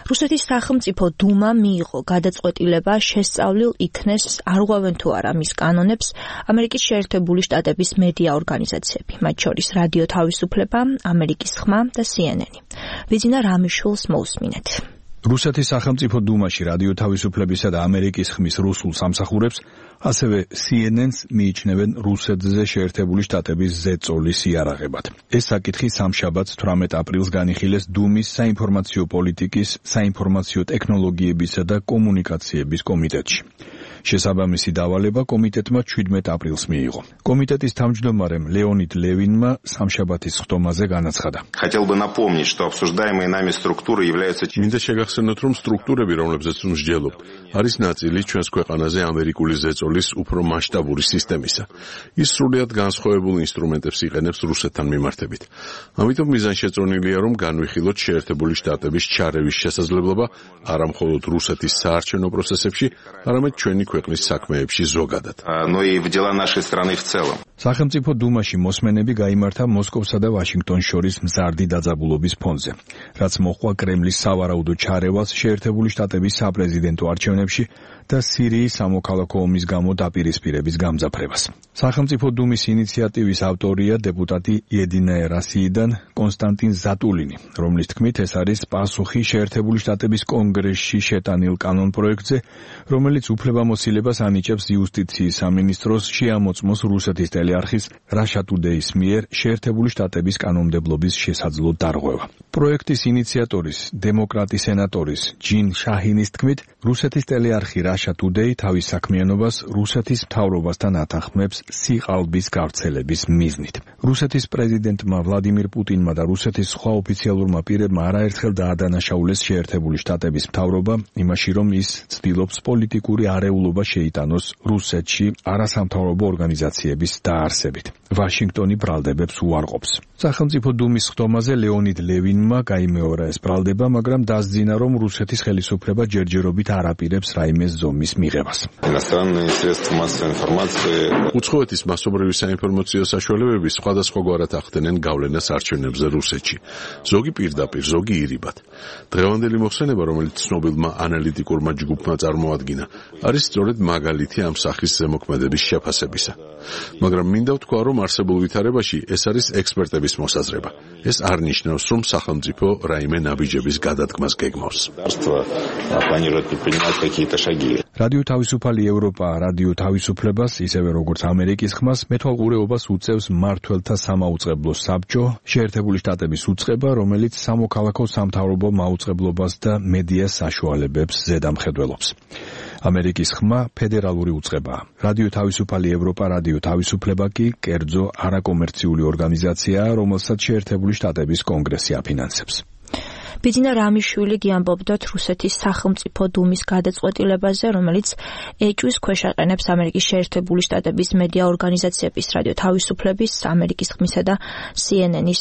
რუსეთის სახელმწიფო დუმამ მიიღო გადაწყვეტილება შესწავლილ იქნეს არღვევენ თუ არა მის კანონებს ამერიკის შეერთებული შტატების მედია ორგანიზაციები, მათ შორის რადიო თავისუფლება, ამერიკის ხმა და CNN. ვიძინა რამიშვილს მოусმინეთ. რუსეთის სახელმწიფო დუმაში რადიო თავისუფლებისა და ამერიკის ხმის რუსულ სამსახურებს, ასევე CNN-ს მიიჩნევენ რუსეთზე შეერთებული შტატების ზეწოლის იარაღებად. ეს საკითხი სამშაბათს 18 აპრილს განიხილეს დუმის საინფორმაციო პოლიტიკის, საინფორმაციო ტექნოლოგიებისა და კომუნიკაციების კომიტეტში. შესაბამისი დავალება კომიტეტმა 17 აპრილს მიიღო. კომიტეტის თავმჯდომარემ ლეონიდ ლევინმა სამშაბათის ხდომაზე განაცხადა. Хотел бы напомнить, что обсуждаемые нами структуры являются მინდა შეგახსენოთ, რომ სტრუქტურები, რომლებზეც მსჯელობ, არის ნაწილი ჩვენს ქვეყანაზე ამერიკული ზეწოლის უფრო მასშტაბური სისტემისა. ის სრულიად განსხვავებულ ინსტრუმენტებს იყენებს რუსეთთან მიმართებით. ამიტომ მიზანშეწონილია, რომ განვიხილოთ შეერთებული შტატების ჩარევის შესაძლებლობა არა მხოლოდ რუსეთის საარჩევნო პროცესებში, არამედ ჩვენი ქვეყნის საქმეებში ზოგადად. но и в дела нашей страны в целом. სახელმწიფო დუმაში მოსმენები გაიმართა მოსკოვსა და ვაშინგტონს შორის მზარდი დაძაბულობის ფონზე, რაც მოჰყვა კრემლის სავარაუდო ჩარევას შეერთებული შტატების საპრეზიდენტო არჩევნებში და სირიის სამოქალაქო ომის გამო დაპირისპირების გამძაფრებას. სახელმწიფო დუმის ინიციატივის ავტორია დეპუტატი იედინა რასიიდან კონსტანტინ ზატულინი, რომლის თქმით ეს არის პასუხი შეერთებული შტატების კონგრესში შეტანილ კანონპროექტზე, რომელიც უფლებამოსილებას ანიჭებს იუსტიციის სამინისტროს შეამოწმოს რუსეთის ტელეარხის Russia Today-ის მიერ შეერთებული შტატების კანონმდებლობის შესაძლო დარღვევა. პროექტის ინიციატორის, დემოკრატი სენატორის ჯინ შაჰინის თქმით, რუსეთის ტელეარხი Russia Today თავის საქმიანობას რუსეთის მთავრობასთან ათანხმებს სიყალბის გავრცელების მიზნით. რუსეთის პრეზიდენტმა ვლადიმირ პუტინმა და რუსეთის სხვა ოფიციალურმა პირებმა არაერთხელ დაადანაშაულეს შეერთებული შტატების მთავრობა იმაში, რომ ის ცდილობს პოლიტიკური არეულობა შეიტანოს რუსეთში არასამთავრობო ორგანიზაციების დაარსებით. ვაშინგტონი ბრალდებებს უარყოფს. სახელმწიფო დუმის ხდომაზე ლეონიდ ლევინმა გაიმეორა ეს ბრალდება, მაგრამ დასძინა, რომ რუსეთის ხელისუფლება ჯერჯერობით არ აპირებს რაიმე ზომის მიღებას. უცხოეთის მასობრივი საინფორმაციო საშუალებები სხვადასხვაგვარად ახდენენ გავლენას არჩევნებზე რუსეთში. ზოგი პირდაპირ, ზოგი ირიბად. დღევანდელი მოხსენება, რომელიც ცნობილმა ანალიტიკურმა ჯგუფმა წარმოადგინა, არის სწორედ მაგალითი ამ სახის ზემოქმედების შეფასებისა. მაგრამ მინდა ვთქვა, რომ არსებულ ვითარებაში ეს არის ექსპერტების მოსაზრება. ეს არ ნიშნავს, რომ სახელმწიფო რაიმე ნაბიჯების გადადგმას გეგმავს. რადიო თავისუფალი ევროპა, რადიო თავისუფლებას, ისევე როგორც ამერიკის ხმას, მეთვალყურეობას უწევს მმართველთა სამაუწყებლო საბჭო, შეერთებული შტატების უწყება, რომელიც სამოქალაქო სამთავრობო მაუწყებლობას და მედიას საშუალებებს ზედამხედველობს. ამერიკის ხმა ფედერალური უწყებაა. რადიო თავისუფალი ევროპა, რადიო თავისუფლება კი კერძო არაკომერციული ორგანიზაციაა, რომელსაც შეერთებული შტატების კონგრესი აფინანსებს. ვიძინა რამიშვილი გიამბობდათ რუსეთის სახელმწიფო დუმის გადაწყვეტილებაზე, რომელიც ეჭვის ქვეშ აყენებს ამერიკის შეერთებული შტატების მედია ორგანიზაციების რადიო თავისუფლების, ამერიკის ხმისა და CNN-ის